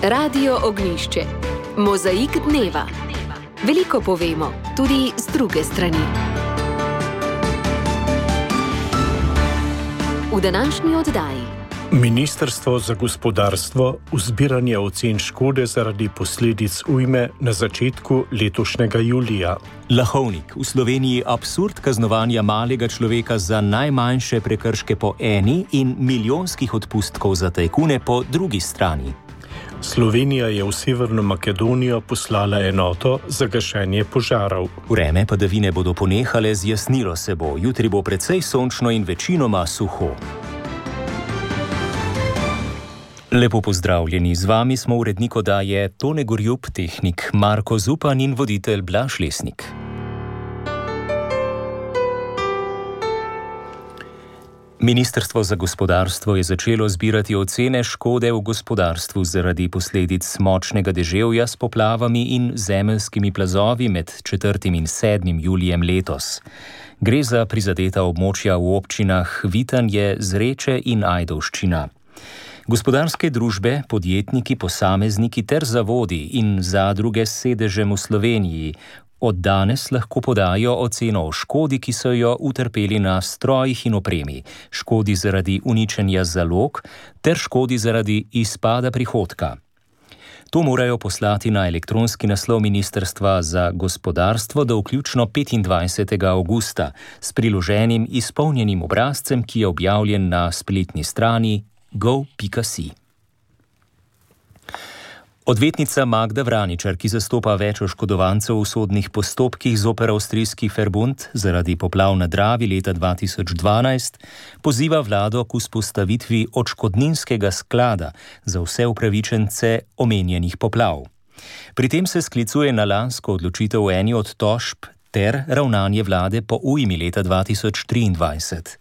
Radio Ognjišče. Mozaik dneva. Veliko povemo, tudi z druge strani. V današnji oddaji. Ministrstvo za gospodarstvo v zbiranje ocen škode zaradi posledic ujme na začetku letošnjega julija. Lahovnik. V Sloveniji absurd kaznovanja malega človeka za najmanjše prekrške po eni in milijonskih odpustkov za tajkune po drugi strani. Slovenija je v Severno Makedonijo poslala enoto za gašenje požarov. Vreme padavine bodo ponehale, zjasnilo se bo. Jutri bo precej sončno in večinoma suho. Lepo pozdravljeni, z vami smo urednik oddaje Tone Gorjup, tehnik Marko Zupan in voditelj Blaž Lesnik. Ministrstvo za gospodarstvo je začelo zbirati ocene škode v gospodarstvu zaradi posledic močnega deževja s poplavami in zemeljskimi plazovi med 4. in 7. julijem letos. Gre za prizadeta območja v občinah Vitanje, Zreče in Ajdovščina. Gospodarske družbe, podjetniki, posamezniki ter zavodi in zadruge s sedežem v Sloveniji od danes lahko podajo oceno o škodi, ki so jo utrpeli na strojih in opremi, škodi zaradi uničenja zalog ter škodi zaradi izpada prihodka. To morajo poslati na elektronski naslov Ministrstva za gospodarstvo do vključno 25. avgusta s priloženim izpolnjenim obrazcem, ki je objavljen na spletni strani go.si. Odvetnica Magda Vraničar, ki zastopa več oškodovancev v sodnih postopkih zoper avstrijski Verbund zaradi poplav na Dravi leta 2012, poziva vlado k vzpostavitvi odškodninskega sklada za vse upravičence omenjenih poplav. Pri tem se sklicuje na lansko odločitev eni od tožb ter ravnanje vlade po ujmi leta 2023.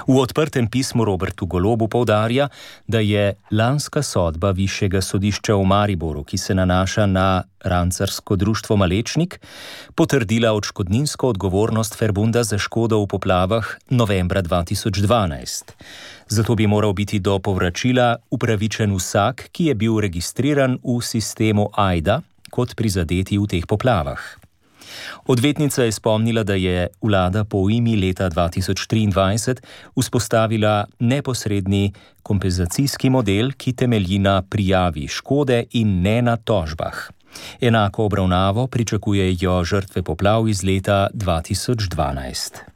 V odprtem pismu Robertu Golobu poudarja, da je lanska sodba Višjega sodišča v Mariboru, ki se nanaša na rancarsko društvo Malečnik, potrdila odškodninsko odgovornost Verbunda za škodo v poplavah novembra 2012. Zato bi moral biti do povračila upravičen vsak, ki je bil registriran v sistemu AIDA kot prizadeti v teh poplavah. Odvetnica je spomnila, da je vlada po ujmi leta 2023 vzpostavila neposredni kompenzacijski model, ki temelji na prijavi škode in ne na tožbah. Enako obravnavo pričakujejo žrtve poplav iz leta 2012.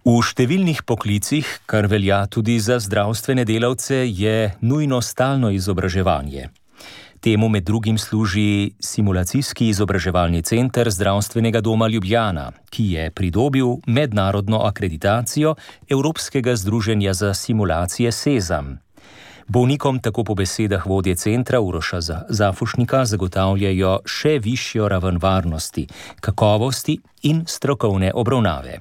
V številnih poklicih, kar velja tudi za zdravstvene delavce, je nujno stalno izobraževanje. Temu med drugim služi simulacijski izobraževalni center Zdravstvenega doma Ljubljana, ki je pridobil mednarodno akreditacijo Evropskega združenja za simulacije Sezam. Bolnikom tako po besedah vodje centra Uroša Zafušnika zagotavljajo še višjo raven varnosti, kakovosti in strokovne obravnave.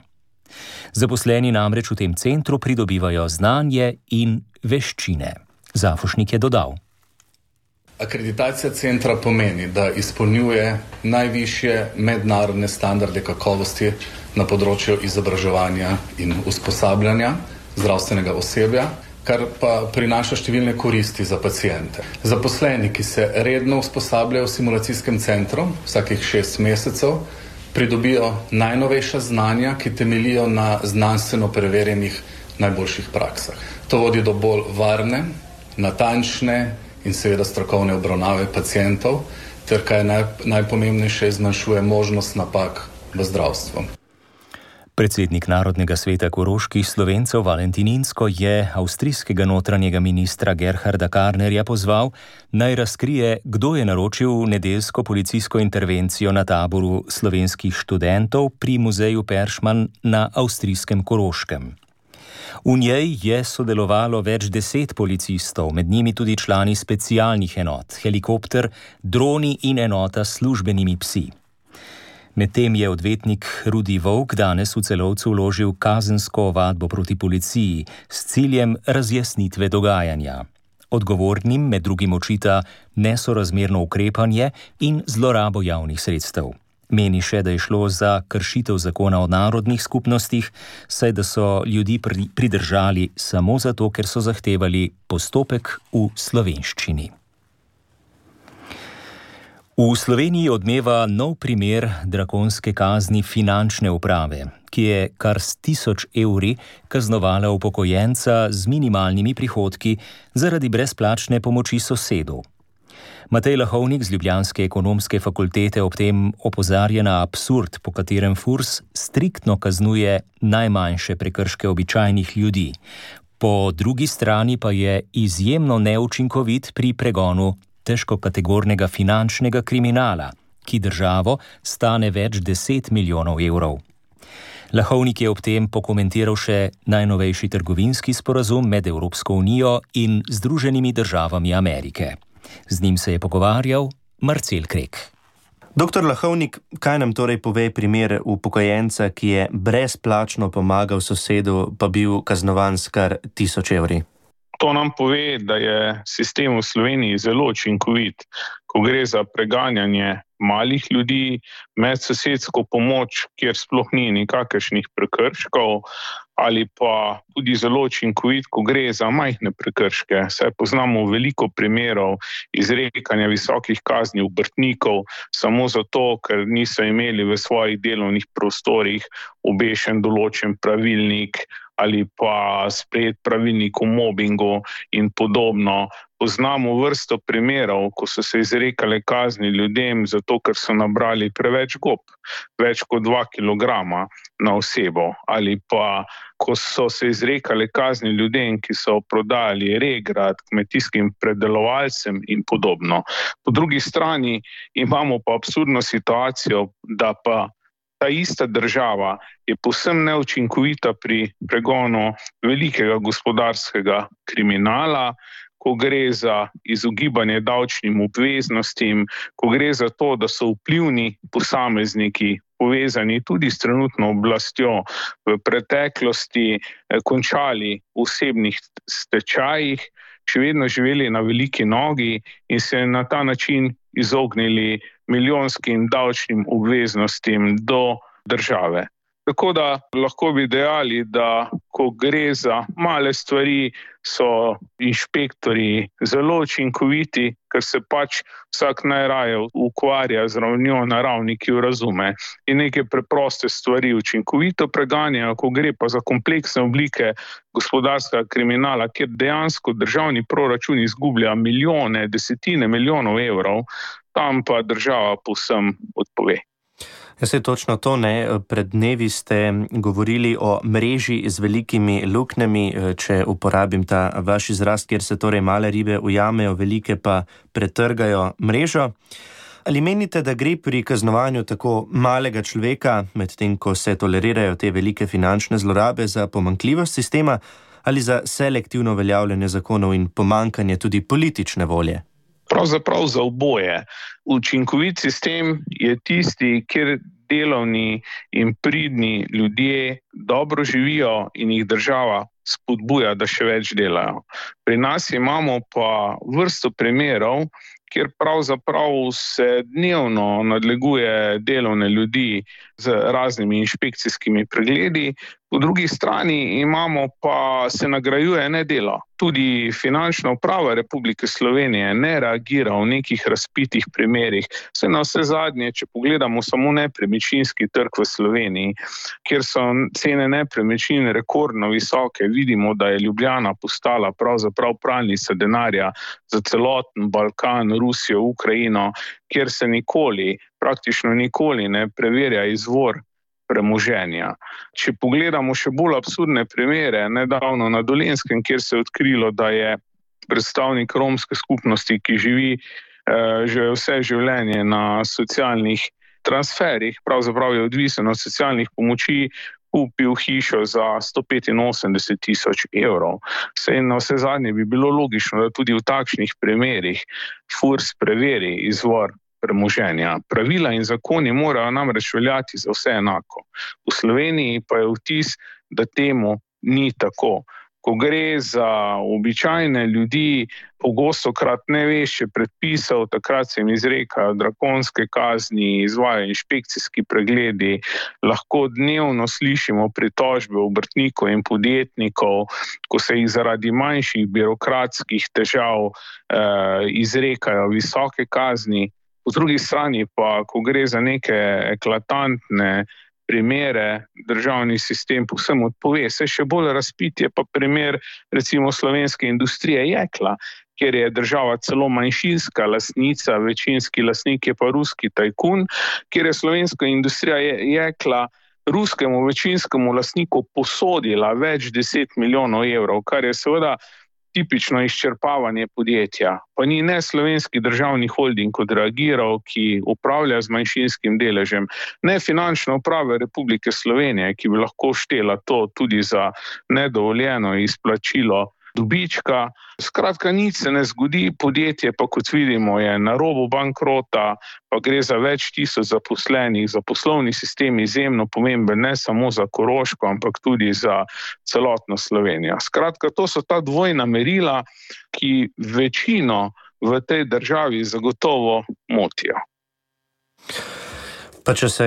Zaposleni namreč v tem centru pridobivajo znanje in veščine. Zafušnik je dodal. Akreditacija centra pomeni, da izpolnjuje najvišje mednarodne standarde kakovosti na področju izobraževanja in usposabljanja zdravstvenega osebja, kar pa prinaša številne koristi za paciente. Zaposleni, ki se redno usposabljajo v simulacijskem centru vsakih 6 mesecev, pridobijo najnovejša znanja, ki temeljijo na znanstveno preverjenih najboljših praksah. To vodi do bolj varne, natančne in seveda strokovne obravnave pacientov, ter kaj najpomembnejše, zmanjšuje možnost napak v zdravstvu. Predsednik Narodnega sveta koroških Slovencev Valentin Inzko je avstrijskega notranjega ministra Gerharda Karnerja pozval, naj razkrije, kdo je naročil nedeljsko policijsko intervencijo na taboru slovenskih študentov pri muzeju Peršman na avstrijskem Koroškem. V njej je sodelovalo več 10 policistov, med njimi tudi člani specialnih enot, helikopter, droni in enota s službenimi psi. Medtem je odvetnik Rudi Volk danes v Celovcu vložil kazensko ovadbo proti policiji s ciljem razjasnitve dogajanja. Odgovornim med drugim očita nesorazmerno ukrepanje in zlorabo javnih sredstev. Meni še, da je šlo za kršitev zakona o narodnih skupnostih, saj da so ljudi pridržali samo zato, ker so zahtevali postopek v slovenščini. V Sloveniji odmeva nov primer drakonske kazni finančne uprave, ki je kar s 1000 evri kaznovala upokojenca z minimalnimi prihodki zaradi brezplačne pomoči sosedu. Matej Lahovnik z ljubljanske ekonomske fakultete ob tem opozarja na absurd, po katerem FURS striktno kaznuje najmanjše prekrške običajnih ljudi. Po drugi strani pa je izjemno neučinkovit pri pregonu težkokategornega finančnega kriminala, ki državo stane več 10 milijonov evrov. Lahovnik je ob tem pokomentiral še najnovejši trgovinski sporazum med Evropsko unijo in Združenimi državami Amerike. Z njim se je pogovarjal Marcel Krek. Doktor Lahovnik, kaj nam torej pove primer upokojenca, ki je brezplačno pomagal sosedu, pa bil kaznovan s kar 1000 evri? To nam pove, da je sistem v Sloveniji zelo učinkovit, ko gre za preganjanje malih ljudi, medsosedsko pomoč, kjer sploh ni nikakršnih prekrškov, ali pa tudi zelo učinkovit, ko gre za majhne prekrške. Saj poznamo veliko primerov izrekanja visokih kazni obrtnikov samo zato, ker niso imeli v svojih delovnih prostorih obešen določen pravilnik ali pa sprejet pravilnik o mobingu in podobno. Poznamo vrsto primerov, ko so se izrekale kazni ljudem zato, ker so nabrali preveč gob, več kot 2 kilograma na osebo, ali pa ko so se izrekale kazni ljudem, ki so prodajali regrat kmetijskim predelovalcem in podobno. Po drugi strani imamo pa absurdno situacijo, da pa ta ista država je povsem neučinkovita pri pregonu velikega gospodarskega kriminala, ko gre za izogibanje davčnim obveznostim, ko gre za to, da so vplivni posamezniki povezani tudi s trenutno oblastjo v preteklosti končali v osebnih stečajih, še vedno živeli na veliki nogi in se na ta način izognili milijonskim davčnim obveznostim do države. Tako da lahko bi dejali, da ko gre za male stvari, so inšpektori zelo učinkoviti, ker se pač vsak najraje ukvarja z ravnjo na ravni, ki jo razume. In neke preproste stvari učinkovito preganjajo, ko gre pa za kompleksne oblike gospodarskega kriminala, kjer dejansko državni proračun izgublja milijone, desetine milijonov evrov, tam pa država povsem odpove. Jaz je točno to, ne. Pred dnevi ste govorili o mreži z velikimi luknjami, če uporabim ta vaš izraz, kjer se torej male ribe ujamejo, velike pa pretrgajo mrežo. Ali menite, da gre pri kaznovanju tako malega človeka, medtem ko se tolerirajo te velike finančne zlorabe, za pomanjkljivost sistema ali za selektivno uveljavljanje zakonov in pomanjkanje tudi politične volje? Pravzaprav za oboje. Učinkovit sistem je tisti, kjer delovni in pridni ljudje dobro živijo in jih država spodbuja, da še več delajo. Pri nas imamo pa vrsto primerov, kjer pravzaprav se dnevno nadleguje delovne ljudi z raznimi inšpekcijskimi pregledi, po drugi strani imamo pa se nagrajuje nedelo. Tudi Finančna uprava Republike Slovenije ne reagira v nekih razpitih primerih. Vse na vse zadnje, če pogledamo samo nepremičninski trg v Sloveniji, kjer so cene nepremičnin rekordno visoke, vidimo, da je Ljubljana postala pravzaprav pralnica denarja za celoten Balkan, Rusijo, Ukrajino, kjer se praktično nikoli ne preverja izvor premoženja. Če pogledamo še bolj absurdne primere, nedavno na Dolenjskem, kjer se je odkrilo, da je predstavnik romske skupnosti, ki živi že vse življenje na socialnih transferih, pravzaprav je odvisen od socialnih pomoči, kupil hišo za 185 000 evrov. Saj na vse zadnje bi bilo logično, da tudi v takšnih primerih FURS preveri izvor premoženja. Pravila in zakoni morajo namreč veljati za vse enako. V Sloveniji pa je vtis, da temu ni tako. ko gre za običajne ljudi, pogostokrat ne veš, če predpisal, takrat se jim izrekajo drakonske kazni, izvajajo inšpekcijski pregledi, lahko dnevno slišimo pritožbe obrtnikov in podjetnikov, ko se jih zaradi manjših birokratskih težav izrekajo visoke kazni. Po drugi strani pa, ko gre za neke eklatantne primere, državni sistem povsem odpove. Se še bolj razpit je pa primer recimo slovenske industrije jekla, kjer je država celo manjšinska lastnica, večinski lastnik je pa ruski tajkun, kjer je slovenska industrija jekla ruskemu večinskemu lastniku posodila več 10 milijonov evrov, kar je seveda tipično izčrpavanje podjetja. Pa ni ne slovenski državni holding odreagiral, ki upravlja z manjšinskim deležem, ne finančna uprava Republike Slovenije, ki bi lahko štela to tudi za nedovoljeno izplačilo dobička. Skratka, nič se ne zgodi, podjetje pa, kot vidimo, je na robu bankrota, pa gre za več tisoč zaposlenih, za poslovni sistem izjemno pomemben, ne samo za Koroško, ampak tudi za celotno Slovenijo. Skratka, to so ta dvojna merila, ki večino v tej državi zagotovo motijo. Pa če se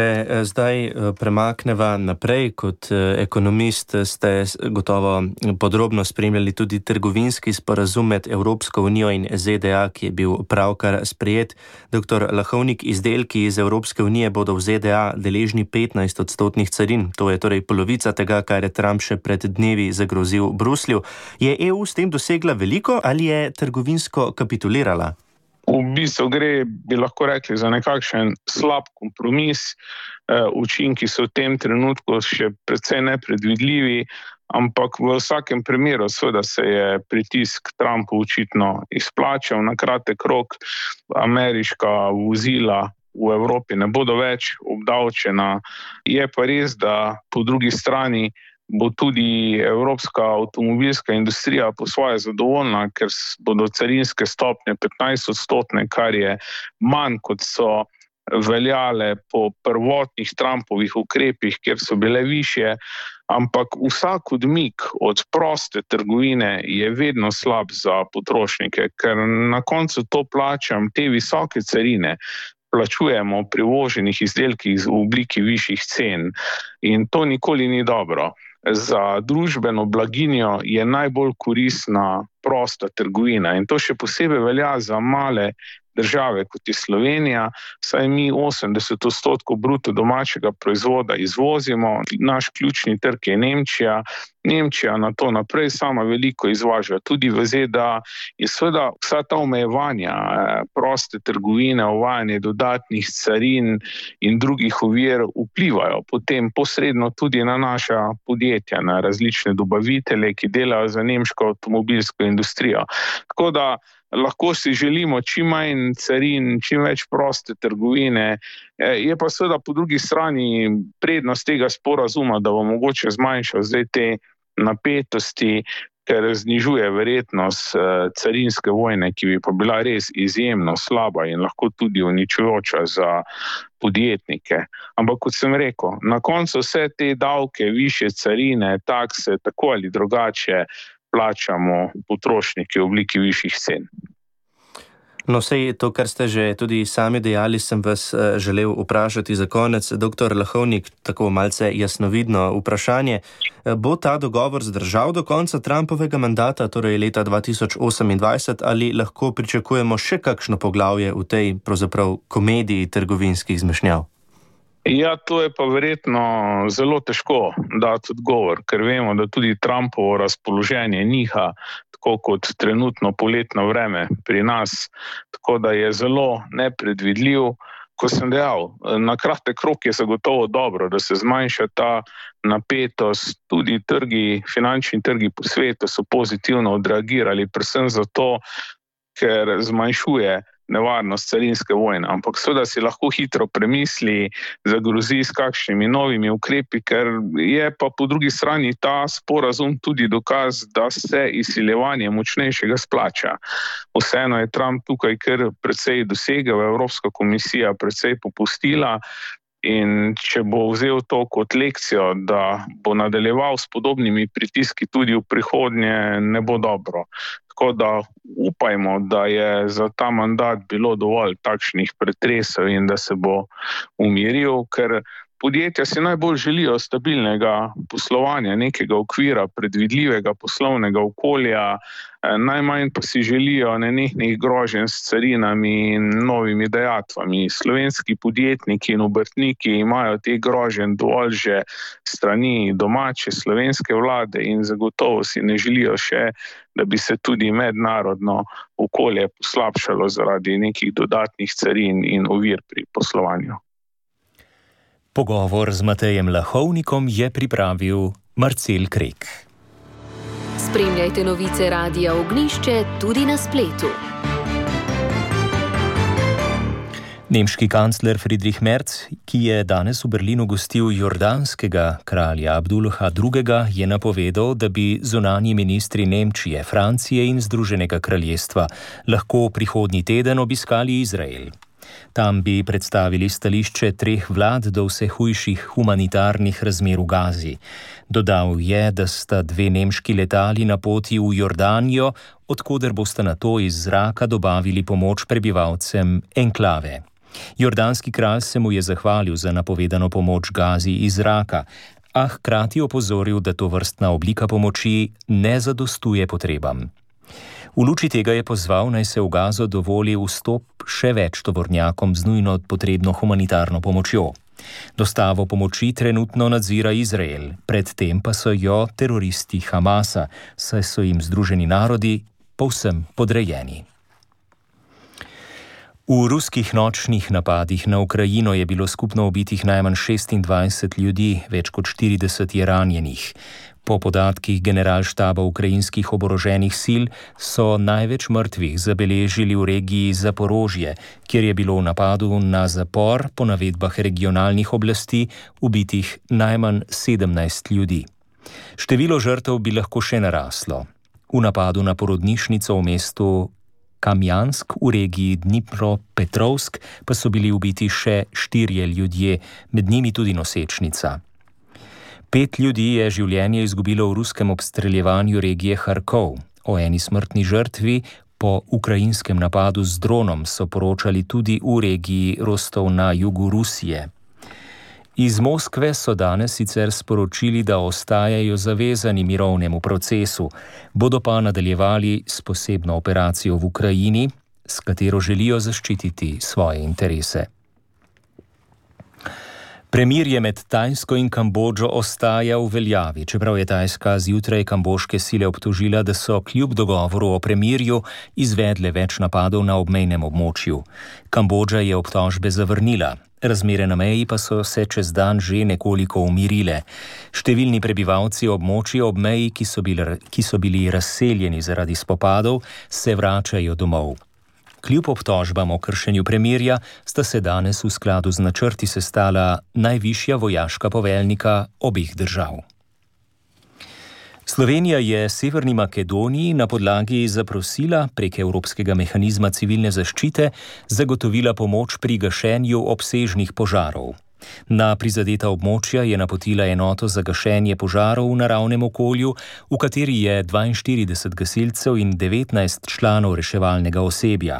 zdaj premakneva naprej, kot ekonomist ste gotovo podrobno spremljali tudi trgovinski sporazum med Evropsko unijo in ZDA, ki je bil pravkar sprejet. Dr. Lahovnik, izdelki iz Evropske unije bodo v ZDA deležni 15% carin. To je torej polovica tega, kar je Trump še pred dnevi zagrozil Bruslju. Je EU s tem dosegla veliko ali je trgovinsko kapitulirala? V bistvu gre, bi lahko rekli, za nekakšen slab kompromis. Učinki so v tem trenutku še precej nepredvidljivi, ampak v vsakem primeru seveda se je pritisk Trumpu očitno izplačal. Na kratek rok ameriška vozila v Evropi ne bodo več obdavčena. Je pa res, da po drugi strani bo tudi evropska avtomobilska industrija po svoje zadovoljna, ker bodo carinske stopnje 15%, kar je manj, kot so veljale po prvotnih Trumpovih ukrepih, kjer so bile višje, ampak vsak odmik od proste trgovine je vedno slab za potrošnike, ker na koncu to plačam, te visoke carine plačujemo pri uvoženih izdelkih v obliki višjih cen in to nikoli ni dobro. Za družbeno blaginjo je najbolj koristna prosta trgovina in to še posebej velja za male države, kot je Slovenija, saj mi 80% bruto domačega proizvoda izvozimo, naš ključni trg je Nemčija. Nemčija na to naprej sama veliko izvaža, tudi v ZDA in seveda vsa ta omejevanja proste trgovine, uvajanje dodatnih carin in drugih ovir vplivajo potem posredno tudi na naša podjetja, na različne dobavitelje, ki delajo za nemško avtomobilsko industrijo. Tako da lahko si želimo čim manj carin, čim več proste trgovine. Je pa seveda po drugi strani prednost tega sporazuma, da bo mogoče zmanjšal zdaj te napetosti, ker znižuje verjetnost carinske vojne, ki bi pa bila res izjemno slaba in lahko tudi uničujoča za podjetnike. Ampak kot sem rekel, na koncu vse te davke, višje carine, takse, tako ali drugače plačamo potrošniki v obliki višjih cen. No, sej to, kar ste že tudi sami dejali, sem vas želel vprašati za konec. Doktor Lahovnik, tako malce jasnovidno vprašanje. Bo ta dogovor zdržal do konca Trumpovega mandata, torej leta 2028, ali lahko pričakujemo še kakšno poglavje v tej pravzaprav komediji trgovinskih zmešnjav? Ja, to je pa verjetno zelo težko dati odgovor, ker vemo, da tudi Trumpovo razpoloženje niha, tako kot trenutno poletno vreme pri nas, tako da je zelo nepredvidljiv. Ko sem dejal, na kratek rok je zagotovo dobro, da se zmanjša ta napetost, tudi finančni trgi po svetu so pozitivno odreagirali, predvsem zato, ker zmanjšuje nevarnost carinske vojne, ampak seveda si lahko hitro premisli, zagrozi s kakšnimi novimi ukrepi, ker je pa po drugi strani ta sporazum tudi dokaz, da se izsiljevanje močnejšega splača. Vseeno je Trump tukaj kar precej dosegel, Evropska komisija precej popustila, in če bo vzel to kot lekcijo, da bo nadaljeval s podobnimi pritiski tudi v prihodnje, ne bo dobro. Tako da upajmo, da je za ta mandat bilo dovolj takšnih pretresov in da se bo umiril, ker podjetja si najbolj želijo stabilnega poslovanja, nekega okvira, predvidljivega poslovnega okolja, najmanj pa si želijo nenehnih groženj s carinami in novimi dajatvami. Slovenski podjetniki in obrtniki imajo te groženj dovolj že strani domače slovenske vlade in zagotovo si ne želijo še, da bi se tudi mednarodno okolje poslabšalo zaradi nekih dodatnih carin in ovir pri poslovanju. Pogovor z Matejem Lahovnikom je pripravil Marcel Krek. Spremljajte novice Radia Ognjišče tudi na spletu. Nemški kancler Friedrich Merz, ki je danes v Berlinu gostil jordanskega kralja Abdullaha II., je napovedal, da bi zunanji ministri Nemčije, Francije in Združenega kraljestva lahko prihodnji teden obiskali Izrael. Tam bi predstavili stališče 3 vlad do vse hujših humanitarnih razmer v Gazi. Dodal je, da sta 2 nemški letali na poti v Jordanijo, odkoder bosta nato iz zraka dobavili pomoč prebivalcem enklave. Jordanski kralj se mu je zahvalil za napovedano pomoč Gazi iz zraka, a hkrati opozoril, da to vrstna oblika pomoči ne zadostuje potrebam. V luči tega je pozval, naj se v Gazo dovoli vstop še več tovornjakom z nujno potrebno humanitarno pomočjo. Dostavo pomoči trenutno nadzira Izrael, predtem pa so jo teroristi Hamasa, saj so jim Združeni narodi povsem podrejeni. V ruskih nočnih napadih na Ukrajino je bilo skupno ubitih najmanj 26 ljudi, več kot 40 je ranjenih. Po podatkih generalštaba ukrajinskih oboroženih sil so največ mrtvih zabeležili v regiji Zaporožje, kjer je bilo v napadu na zapor po navedbah regionalnih oblasti ubitih najmanj 17 ljudi. Število žrtev bi lahko še naraslo. V napadu na porodnišnico v mestu Kamjansk v regiji Dnipropetrovsk pa so bili ubiti še 4 ljudje, med njimi tudi nosečnica. 5 ljudi je življenje izgubilo v ruskem obstreljevanju regije Harkov. O eni smrtni žrtvi po ukrajinskem napadu z dronom so poročali tudi v regiji Rostov na jugu Rusije. Iz Moskve so danes sicer sporočili, da ostajajo zavezani mirovnemu procesu, bodo pa nadaljevali s posebno operacijo v Ukrajini, s katero želijo zaščititi svoje interese. Premirje med Tajsko in Kambodžo ostaja v veljavi, čeprav je Tajska zjutraj kambožke sile obtožila, da so kljub dogovoru o premirju izvedle več napadov na obmejnem območju. Kambodža je obtožbe zavrnila. Razmere na meji pa so se čez dan že nekoliko umirile. Številni prebivalci območja ob meji, ki so bili razseljeni zaradi spopadov, se vračajo domov. Kljub obtožbam o kršenju premirja sta se danes v skladu z načrti sestala najvišja vojaška poveljnika obeh držav. Slovenija je Severni Makedoniji na podlagi zaprosila prek Evropskega mehanizma civilne zaščite zagotovila pomoč pri gašenju obsežnih požarov. Na prizadeta območja je napotila enoto za gašenje požarov v naravnem okolju, v kateri je 42 gasilcev in 19 članov reševalnega osebja.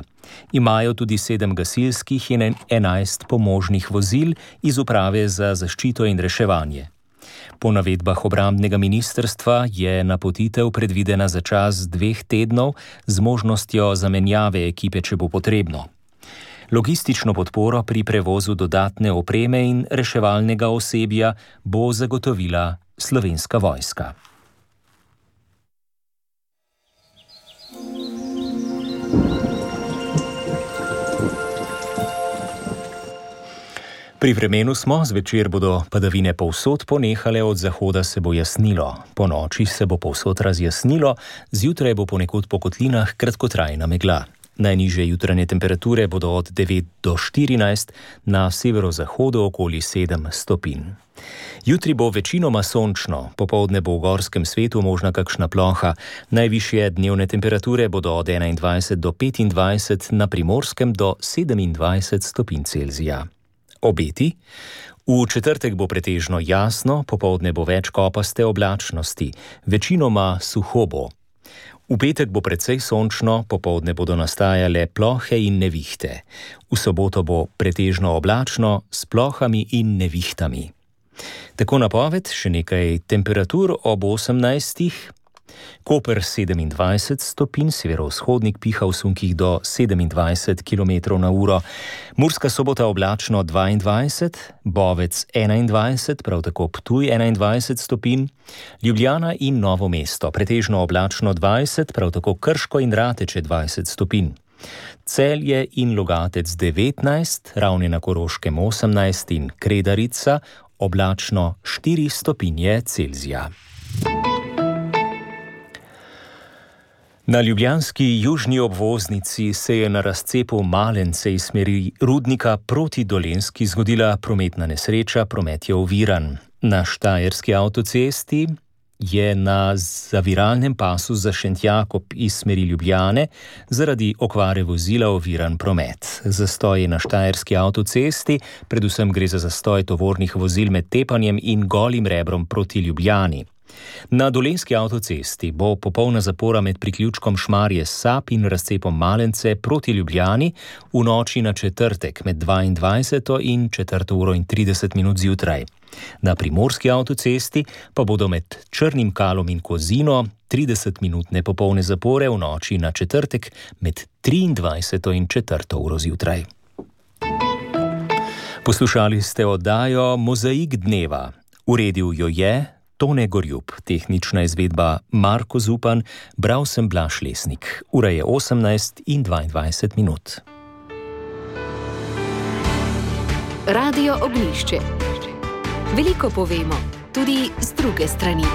Imajo tudi 7 gasilskih in 11 pomožnih vozil iz uprave za zaščito in reševanje. Po navedbah obrambnega ministrstva je napotitev predvidena za čas 2 tednov z možnostjo zamenjave ekipe, če bo potrebno. Logistično podporo pri prevozu dodatne opreme in reševalnega osebja bo zagotovila Slovenska vojska. Pri vremenu smo, zvečer bodo padavine povsod ponehale, od zahoda se bo jasnilo. Po noči se bo povsod razjasnilo, zjutraj bo ponekod po kotlinah kratkotrajna megla. Najnižje jutranje temperature bodo od 9 do 14, na severozahodu okoli 7 stopinj. Jutri bo večinoma sončno, popoldne bo v gorskem svetu možna kakšna ploha. Najvišje dnevne temperature bodo od 21 do 25, na Primorskem do 27 stopinj Celzija. Obeti? V četrtek bo pretežno jasno, popoldne bo več kopaste oblačnosti, večinoma suho bo. V petek bo precej sončno, popoldne bodo nastajale plohe in nevihte. V soboto bo pretežno oblačno s plohami in nevihtami. Tako napoved, še nekaj temperatur ob 18. Koper 27 stopinj, severovzhodnik piha v sunkih do 27 km na uro. Murska Sobota oblačno 22, Bovec 21, prav tako Ptuj 21 stopinj, Ljubljana in Novo mesto pretežno oblačno 20, prav tako Krško in Rateče 20 stopinj. Celje in Logatec 19, Ravne na Koroškem 18 in Kredarica oblačno 4 stopinje Celzija. Na ljubljanski južni obvoznici se je na razcepu Malence iz smeri Rudnika proti Dolenjski zgodila prometna nesreča, promet je oviran. Na štajerski avtocesti je na zaviralnem pasu za Šentjakob iz smeri Ljubljane zaradi okvare vozila oviran promet. Zastoj je na štajerski avtocesti, predvsem gre za zastoj tovornih vozil med Tepanjem in Golim Rebrom proti Ljubljani. Na dolenjski avtocesti bo popolna zapora med priključkom Šmarje Sap in razcepom Malence proti Ljubljani v noči na četrtek med 22. in 4:30 zjutraj. Na primorski avtocesti pa bodo med Črnim Kalom in Kozino 30-minutne popolne zapore v noči na četrtek med 23. in 4. zjutraj. Poslušali ste oddajo Mozaik dneva. Uredil jo je Tone Gorjub, tehnična izvedba Marko Zupan, bral sem Blaž Lesnik. Ura je 18:22. Radio Ognjišče. Veliko povemo, tudi z druge strani.